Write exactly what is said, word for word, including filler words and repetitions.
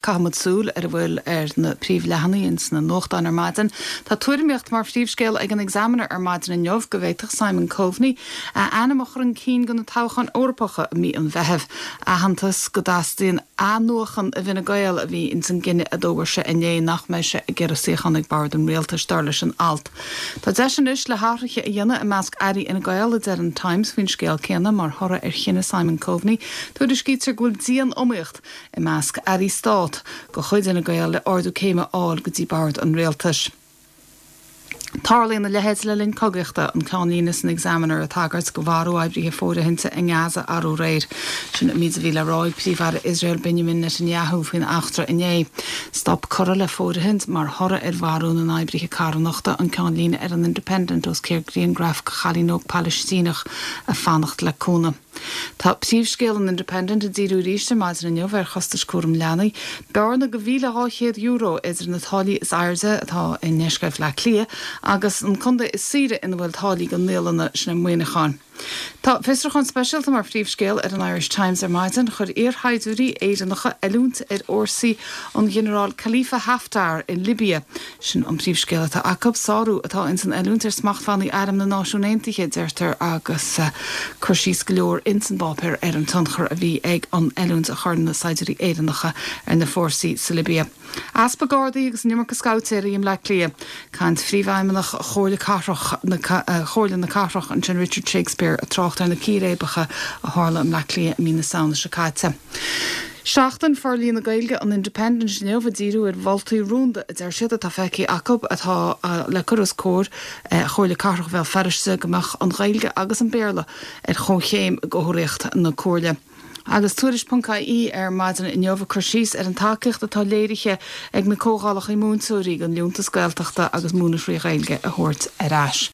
Caithfimid súil ar a bhfuil ar na príomhleathanaigh ins na nuachtáin ar maidin. Tá tuairimíocht mar phríomhscéal ag an Examiner ar maidin inniu go bhféadfadh Simon Coveney a ainm a chur chun cinn do na toghcháin Eorpacha i mí an Mheithimh. Aitheantas go dteastaíonn athnuachan i bhFine Gael a bhí ins an gcinneadh a d'fhógair sé inné nach mbeidh sé ag iarraidh suíochán ag bord an rialtais dar leis an alt. Tá deis anois le hathruithe a dhéanamh i measc airí Fhine Gael a deir an Times faoin scéal céanna mar thoradh ar chinneadh Simon Coveney, Tuairiscítear go bhfuil dian-iomaíocht i measc airí stáit de chuid Fhine Gael le ardú céime a fháil go dtí bord an rialtais. Tarlaíonn a leithéid le linn cogaíochta an ceannlíne san Examiner ag tagairt do mharú oibrithe fóirithinte i nGaza arú aréir. Sin an méid a bhí le rá ag Príomh-Aire Iosrael Benjamin Netanyahu faoin eachtra inné. Stop curtha le fóirithint mar thoradh ar mharú na n-oibrithe carthanachta an ceannlíne ar an Independent os cionn grianghraf de chailín óg Palaistíneach ag fanacht le cúnamh. Tá príomhscéal an Independent ag díriú arís ar maidin inniu ar chostais cúram leanaí, bearna de mhíle dhá chéad euro idir na táillí is airde atá i ndeisceart Bhaile Átha Cliath agus an contae is saoire ina bhfuil táillí do naíolanna sin é Muineachán. Tá fiosrúchán speisialta mar phríomhscéal ar an Irish Times ar maidin chuir iarshaighdiúirí Éireannacha oiliúint ar fhórsaí an Ghinearál Khalifa Haftar in Libia. Sin an príomhscéal atá acu sárú atá ins an oiliúint ar smachtbhannaí Arm na Náisiún Aontaithe deirtear agus uh, cur síos go leor ins an bpáipéar ar an tionchar a bhí ag an oiliúint a chuir na saighdiúirí Éireannacha ar na fórsaí sa Libia. Easpa Gardaí agus an iomarca scabhtéirí i mBleá Cliath, Caint phríomhfheidhmeannach Chomhairle Cathrach Chomhairle na Cathrach ansin Richard Shakespeare ag trácht ar na círéibeacha a tharla i mBleá Cliath i mí na Samhna seo caite. Seachtain Forlíonadh Gaeilge an Independent inniu ag díriú ar mholtaí rúnda a deir siad atá feicthe acu atá le cur os comhair Chomhairle Cathrach Bhéal Feirste go mbeadh an Ghaeilge agus an Béarla ar chomhchéim i gcomharthaíocht na Comhairle. Agus tuairisc.ie ar maidin inniu ag cur síos ar an tacaíocht atá léirithe ag na comhdhálacha múinteoirí don liúntas Gaeltachta agus múineadh trí Ghaeilge a thabhairt ar ais.